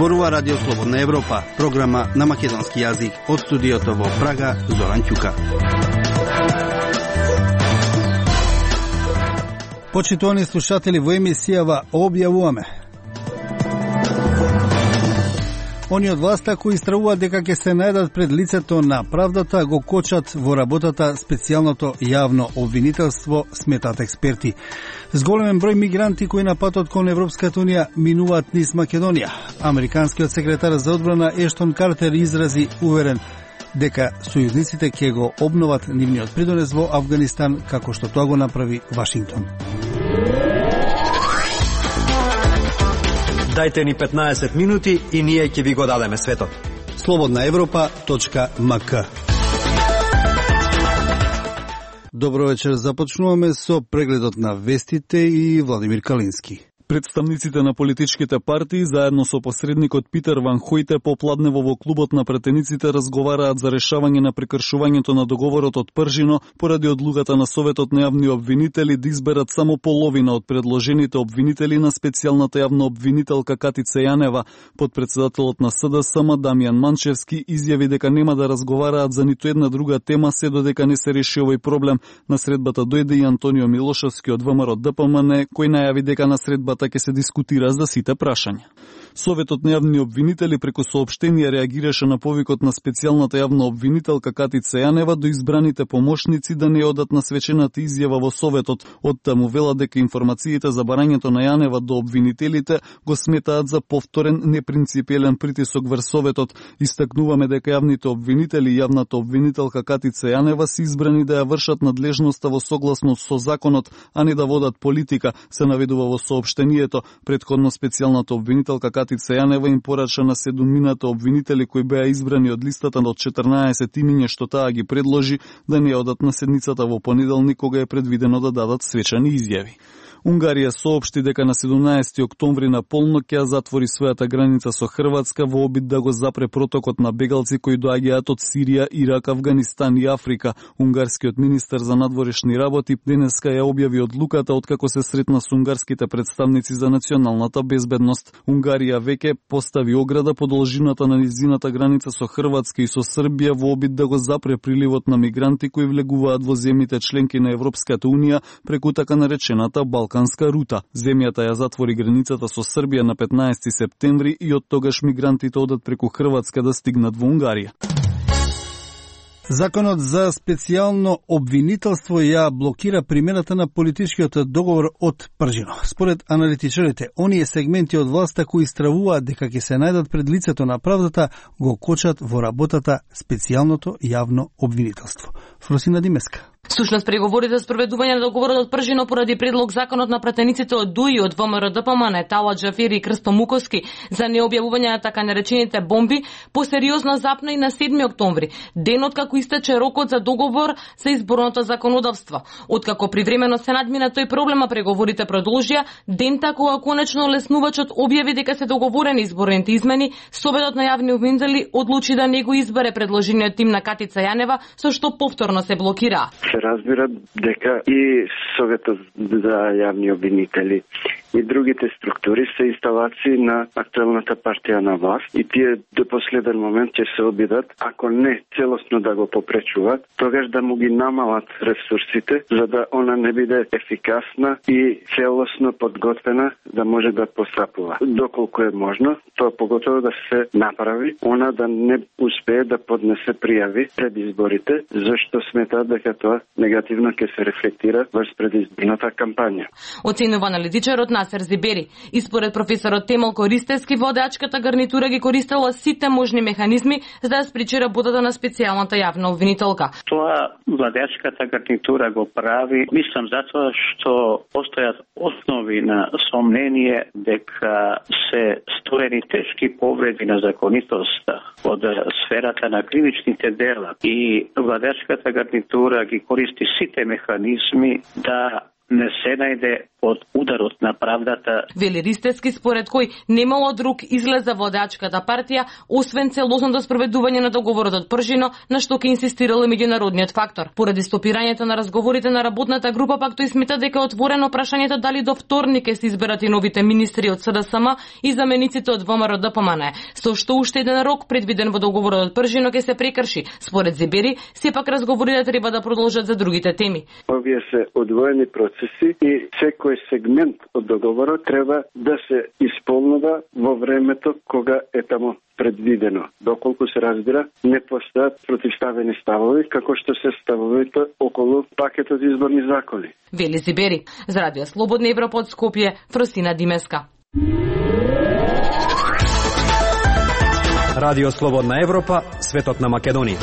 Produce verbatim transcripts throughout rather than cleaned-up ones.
Зборува Радио Слободна Европа, програма на македонски јазик од студиото во Прага, Зоран Ќука. Почитувани слушатели, во емисијава објавуваме: они од власта кои истравуваат дека ќе се најдат пред лицето на правдата го кочат во работата специјалното јавно обвинителство, сметаат експерти. Зголемен број мигранти кои на патот кон Европската унија минуваат низ Македонија. Американскиот секретар за одбрана Ештон Картер изрази уверен дека сојузниците ќе го обноват нивниот придонес во Авганистан, како што тоа го направи Вашингтон. Дајте ни петнаесет минути и ние ќе ви го дадеме светот. слободна европа точка ем ка. Добро вечер, започнуваме со прегледот на вестите и Владимир Калински. Представниците на политичките партии заедно со посредникот Питер Ван Хојте попладнево во клубот на претениците разговараат за решавање на прекршувањето на договорот од Пржино поради одлуката на Советот на јавни обвинители да изберат само половина од предложените обвинители на специјалната јавна обвинителка Катица Јанева. Подпредседателот на С Д С М Дамјан Манчевски изјави дека нема да разговараат за ниту една друга тема се додека не се реши овој проблем. На средбата дојде и Антонио Милошевски од В М Р Д П М Н, кој најави дека на средбата ќе се дискутира за сите прашања. Советот на јавни обвинители преку соопштение реагираше на повикот на специјалната јавна обвинителка Катица Јанева до избраните помошници да не одат на свечената изјава во Советот. Оттаму вела дека информациите за барањето на Јанева до обвинителите го сметаат за повторен непринципиелен притисок врз Советот. Истакнуваме дека јавните обвинители и јавната обвинителка Катица Јанева се избрани да ја вршат надлежноста во согласност со законот, а не да водат политика, се наведува во соопштението. Претходно специјалната обвинителка Катица Јанева им порача на седумината обвинители кои беа избрани од листата од четрнаесет имиња што таа ги предложи да не одат на седницата во понеделник кога е предвидено да дадат свечани изјави. Унгарија соопшти дека на седумнаесети октомври на полнок ќе затвори својата граница со Хрватска во обид да го запре протокот на бегалци кои доаѓаат од Сирија, Ирак, Авганистан и Африка. Унгарскиот министер за надворешни работи денеска ја објави одлуката откако се сретна со унгарските представници за националната безбедност. Унгарија веќе постави ограда по должината на низината граница со Хрватска и со Србија во обид да го запре приливот на мигранти кои влегуваат во земјите членки на Европската унија преку така наречената Балканска рута. Земјата ја затвори границата со Србија на петнаесети септември и од тогаш мигрантите одат преку Хрватска да стигнат во Унгарија. Законот за специјално обвинителство ја блокира примената на политичкиот договор од Пржино. Според аналитичарите, оние сегменти од власта кои стравуваат дека ќе се најдат пред лицето на правдата го кочат во работата специјалното јавно обвинителство. Фросина Димеска. Сушност преговорите за спроведување на договорот од Пржино поради предлог законот на пратениците од ДУИ од В М Р Д П М Н, Тала Џафери и Крсто Муковски за необјавување на така наречените бомби посериозно запна и на седми октомври, денот како истече рокот за договор за изборното законодавство. Откако привремено се надмина тој проблема, преговорите продолжија, дента кога конечно леснувачот објави дека се договорени изборните измени, Советот на јавни обвинители одлучи да не го избере предложениот тим на Катица Јанева, со што повторно се блокира. Се разбира дека и Советот за јавни обвинители и другите структури се инсталации на актуелната партија на власт и тие до последен момент ќе се обидат, ако не целосно да го попречуваат, тогаш да му ги намалат ресурсите, за да она не биде ефикасна и целосно подготвена да може да постапува. Доколку е можно, тоа поготово да се направи, она да не успее да поднесе пријави пред изборите, зашто сметаат дека тоа негативно ќе се рефлектира врз предизборната кампања. Оценува аналитичарот Насер Зибери. И според професорот Темел Користевски, водачката гарнитура ги користела сите можни механизми за да спречи работата на специјалната јавна обвинителка. Тоа владачката гарнитура го прави, мислам затоа што постојат основи на сомнение дека се сторени тешки повреди на законитоста од сферата на кривичните дела и владачката гарнитура ги користи сите механизми да не се најде под ударот на правдата. Вели Ристевски, според кој немало друг излез за водачката партија, освен целосното спроведување на договорот од Пржино, на што ќе инсистирал и меѓународниот фактор. Поради стопирањето на разговорите на работната група, пак тој смета дека е отворено прашањето дали до вторник ќе се изберат и новите министри од С Д С М и замениците од В М Р Д П М Н, со што уште еден рок предвиден во договорот од Пржино ќе се прекрши. Според Зибери, сепак разговорите треба да продолжат за другите теми. Овие се одвоени процеси и секој сегмент од договорот треба да се исполнува во времето кога е таму предвидено. Доколку се разбира, не постојат противставени ставови, како што се ставовите околу пакетот изборни закони. Вели Зибери. За Радио Слободна Европа од Скопје, Фросина Димеска. Радио Слободна Европа, светот на Македонија.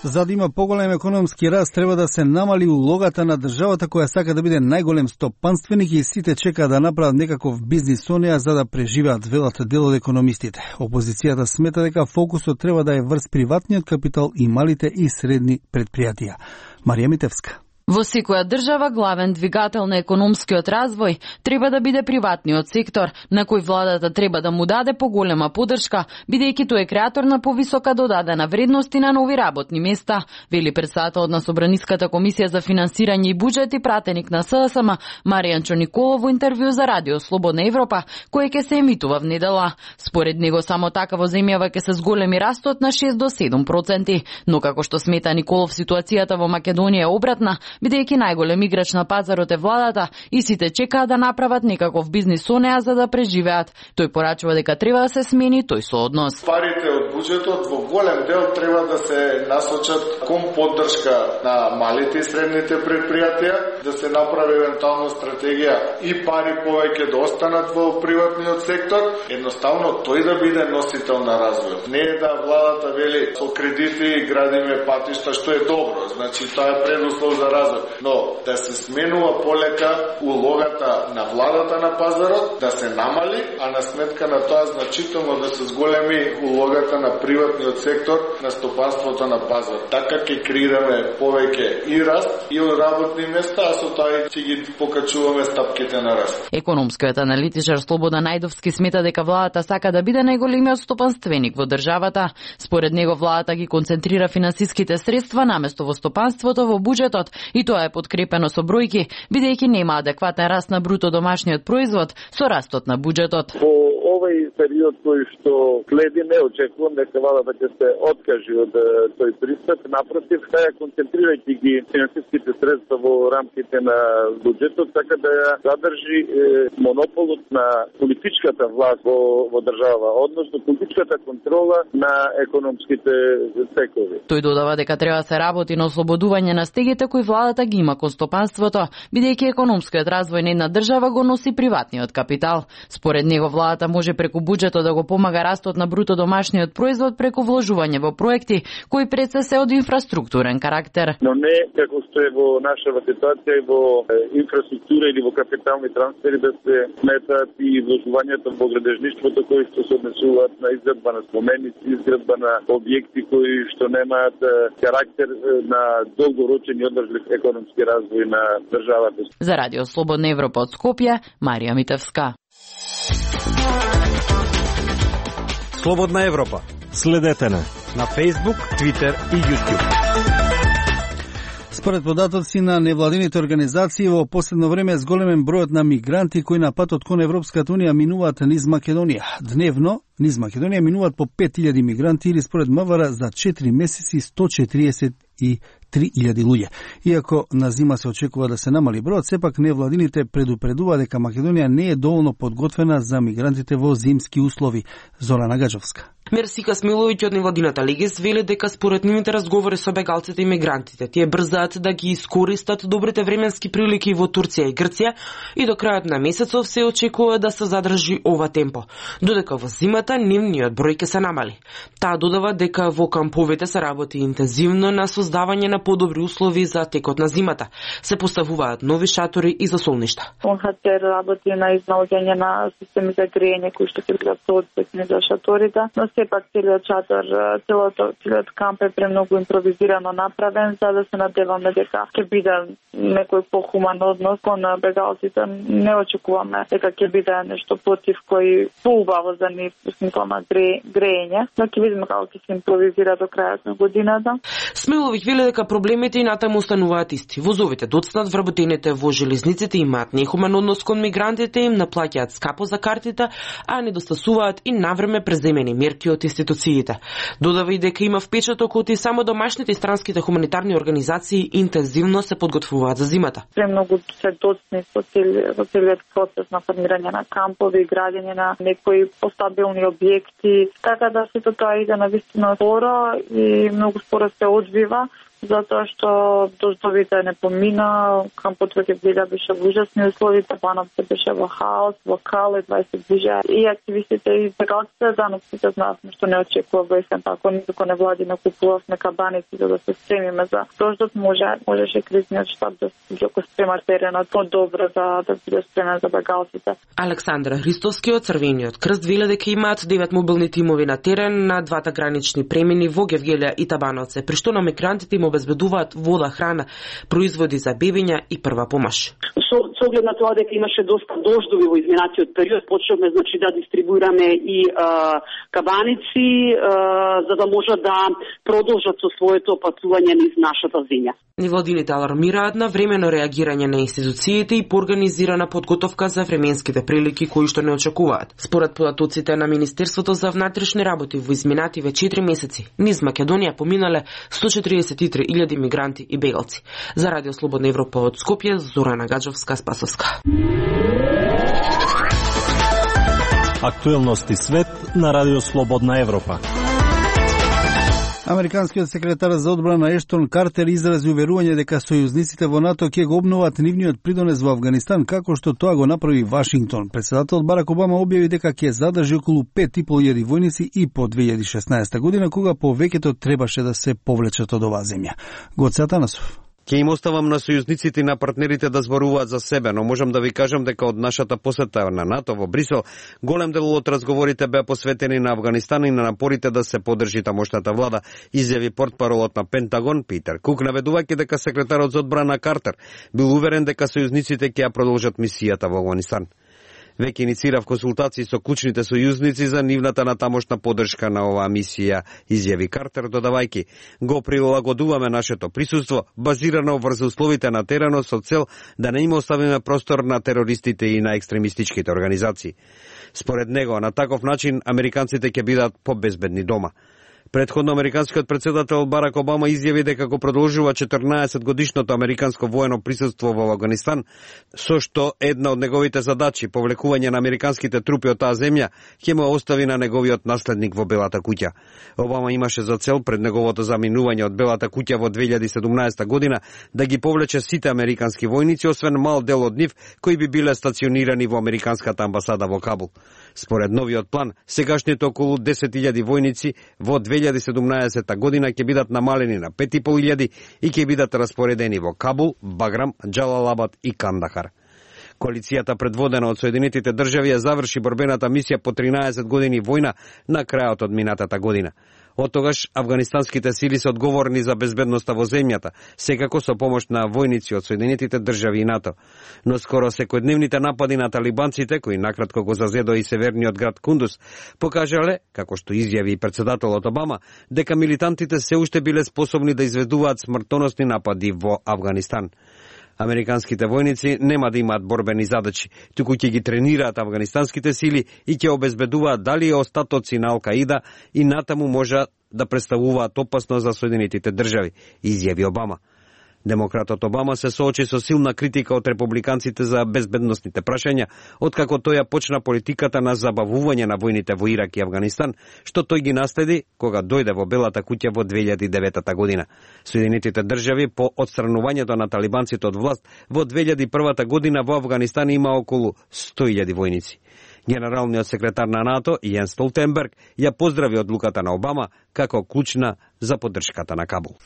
За да има поголем економски раст, треба да се намали улогата на државата која сака да биде најголем стопанственик и сите чекаат да направат некаков бизнис со неа за да преживеат, велат дел од економистите. Опозицијата смета дека фокусот треба да е врз приватниот капитал и малите и средни предпријатија. Марија Митевска. Во секоја држава главен двигател на економскиот развој треба да биде приватниот сектор, на кој владата треба да му даде поголема поддршка, бидејќи тој е креатор на повисока додадена вредност и на нови работни места, вели претседателот на Собраниската комисија за финансирање и буџет и пратеник на С Д С М Маријанчо Николов во интервју за Радио Слободна Европа, кој ќе се емитува внедела. Според него само така во земјава ќе се зголеми растот на шест до седум проценти, но како што смета Николов, ситуацијата во Македонија е обратна, бидејќи најголем играч на пазарот е владата и сите чекаат да направат некаков бизнис со неа за да преживеат. Тој порачува дека треба да се смени тој сооднос. Парите од буџетот во голем дел треба да се насочат кон поддршка на малите и средните предпријатија, да се направи евентуално стратегија и пари повеќе да останат во приватниот сектор, едноставно тој да биде носител на развојот. Не е да владата вели со кредити градиме патишта, што е добро, значи тоа е предуслов за развој. Но да се сменува полека улогата на владата на пазарот, да се намали, а на сметка на тоа значително да се зголеми улогата на приватниот сектор на стопанството на пазар. Така ќе креираме повеќе и раст и работни места, а со тоа ќе ги покачуваме стапките на раст. Економскиот аналитичар Слободан Најдовски смета дека владата сака да биде најголемиот стопанственик во државата. Според него владата ги концентрира финансиските средства наместо во стопанството, во буџетот, и тоа е подкрепено со бројки, бидејќи нема адекватен раст на бруто домашниот производ со растот на буџетот. Во овој период кој што следи, не очекувам дека владата ќе се откажи од тој пристап, напротив, ја концентрирајќи ги финансиските средства во рамките на буџетот, така да ја задржи е, монополот на политичката власт во, во држава, односно политичката контрола на економските секtori. Тој додава дека треба да се работи на ослободување на стегите кои владата ги има кон стопанството, бидејќи економскиот развој на една држава го носи приватниот капитал. Според него владата може преку буџетот да го помага растот на бруто домашниот производ преку вложување во проекти кои пред се се од инфраструктурен карактер. Но не како што е во нашава ситуација и во инфраструктура или во капитални трансфери да се сметаат и вложувањето во градежништвото кои што се однесуваат на изградба на споменици, изградба на објекти кои што немаат карактер на долгорочен и одржлив економски развој на државата. За Радио Слободна Европа од Скопје, Марија Митевска. Слободна Европа. Следете на на Facebook, Twitter и YouTube. Според податоци на невладините организации, во последно време зголемен бројот на мигранти кои на патот кон Европската унија минуваат низ Македонија. Дневно низ Македонија минуваат по пет илјади мигранти или според МВР за четири месеци сто четириесет и три илјади луѓе. Иако на зима се очекува да се намали бројот, сепак невладините предупредува дека Македонија не е доволно подготвена за мигрантите во зимски услови. Зорана Гаджовска. Мерсика Смиловиќ од невладината Легес вели дека според нивните разговори со бегалците и мигрантите, тие брзаат да ги искористат добрите временски прилики во Турција и Грција и до крајот на месецов се очекува да се задржи ова темпо. Додека во зимата зимата нивниот број ќе се намали. Таа додава дека во камповите се работи интензивно на создавање на подобри услови за текот на зимата. Се поставуваат нови шатори и засолништа. УН Х Ц Р работи на изнаоѓање на системи за грејење кои што ќе бидат соодветни за шаторите, но сепак целиот шатор, целиот, целиот камп е премногу импровизирано направен, за да се надеваме дека ќе биде некој похуман однос кон бегалците. Не очекуваме дека ќе биде нешто против кој поубаво за нив во смисла на грејење, но ќе видиме како ќе се импровизира до крајот на годината. Смелових вели дека проблемите и натаму остануваат исти. Возовите доцнат, вработените во железниците имаат нехумен однос кон мигрантите, им наплаќаат скапо за картите, а недостасуваат и навреме преземени мерки од институциите. Додава и дека има впечаток од и само домашните и странските хуманитарни организации интензивно се подготвуваат за зимата. Премногу се доцни со целиот процес на формирање на кампови и градење на некои постабилни објекти, така да сето тоа иде навистина споро и многу споро се одвива, затоа што дождовите не помина, кампот веќе влега беше во ужасни услови, Бановци беше во хаос, во кал, едва се движеа и активистите и бегалците, заноците знаевме што не очекува во есен, tako никако не влади накупувавме кабаници за да се спремиме за дождот, може можеше кризниот штаб да се го спрема теренот по-добро за да биде спремен за бегалците. Александра Христовски од Црвениот крст вели дека имаат девет мобилни тимови на терен на двата гранични премини во Гевгелија и Табановце, при што на мигрантите им обезбедуваат вода, храна, производи за бебиња и прва помош. Со, со оглед на тоа дека имаше доста дождови во изминатиот период, почнавме значи да дистрибуираме и а, кабаници а, за да можат да продолжат со своето патување низ нашата земја. Невладините алармираат на времено реагирање на институциите и поорганизирана подготовка за временските прилики кои што не очекуваат. Според податоците на Министерството за внатрешни работи во изминативе четири месеци низ Македонија поминале сто четиридесет и три илјади мигранти и бегалци. За Радио Слободна Европа од Скопје, Зорана Гаджовска, Спасовска. Актуелности свет на Радио Слободна Европа. Американскиот секретар за одбрана Ештон Картер изрази уверување дека сојузниците во НАТО ќе го обноват нивниот придонес во Авганистан, како што тоа го направи Вашингтон. Претседателот Барак Обама објави дека ќе задржи околу пет и пол илјади војници и по две илјади и шеснаесета година, кога повеќето требаше да се повлечат од оваа земја. Гоце Атанасов. Ќе им оставам на сојузниците и на партнерите да зборуваат за себе, но можам да ви кажам дека од нашата посета на НАТО во Брисел, голем дел од разговорите беа посветени на Авганистан и на напорите да се поддржи тамошната влада, изјави портпаролот на Пентагон Питер Кук, наведувајќи дека секретарот за одбрана Картер бил уверен дека сојузниците ќе ја продолжат мисијата во Авганистан. Веќе иницирав консултации со клучните сојузници за нивната натамошна поддршка на оваа мисија, изјави Картер, додавајќи: го прилагодуваме нашето присуство базирано врз условите на теренот со цел да не им оставиме простор на терористите и на екстремистичките организации. Според него, на таков начин американците ќе бидат побезбедни дома. Предходно американскиот претседател Барак Обама изјави дека го продолжува четрнаесет годишното американско воено присуство во Авганистан, со што една од неговите задачи, повлекување на американските трупи од таа земја, ќе му остави на неговиот наследник во Белата куќа. Обама имаше за цел пред неговото заминување од Белата куќа во две илјади и седумнаесета година да ги повлече сите американски војници, освен мал дел од нив кои би биле стационирани во американската амбасада во Кабул. Според новиот план, сегашните околу десет илјади војници во две илјади и седумнаесета година ќе бидат намалени на пет и пол илјади и ќе бидат распоредени во Кабул, Баграм, Џалалабад и Кандахар. Коалицијата предводена од Соединетите држави ја заврши борбената мисија по тринаесет години војна на крајот од минатата година. Од тогаш афганистанските сили се одговорни за безбедноста во земјата, секако со помош на војници од Соединетите држави и НАТО. Но скоро секојдневните напади на талибанците, кои накратко го зазедоа и северниот град Кундус, покажале, како што изјави и претседателот Обама, дека милитантите се уште биле способни да изведуваат смртоносни напади во Авганистан. Американските војници нема да имаат борбени задачи, туку ќе ги тренираат афганистанските сили и ќе обезбедуваат дали остатоци на Ал-Каида и натаму може да представуваат опасност за Соединетите држави, изјави Обама. Демократот Обама се соочи со силна критика од републиканците за безбедносните прашања, откако тој ја почна политиката на забавување на војните во Ирак и Авганистан, што тој ги наследи кога дојде во Белата куќа во две илјади и девета година. Соединетите држави по отстранувањето на талибанците од власт во две илјади и прва година во Авганистан има околу сто илјади војници. Генералниот секретар на НАТО Јен Столтенберг ја поздрави одлуката на Обама како клучна за поддршката на Кабул.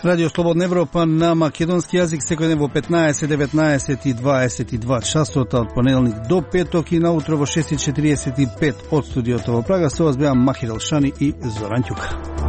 Радио Слободна Европа на македонски јазик секој ден во петнаесет, деветнаесет и дваесет и два часота од понеделник до петок и наутро во шест и четириесет и пет од студиото во Прага. Со вас беа Махир Алшани и Зоран Ќука.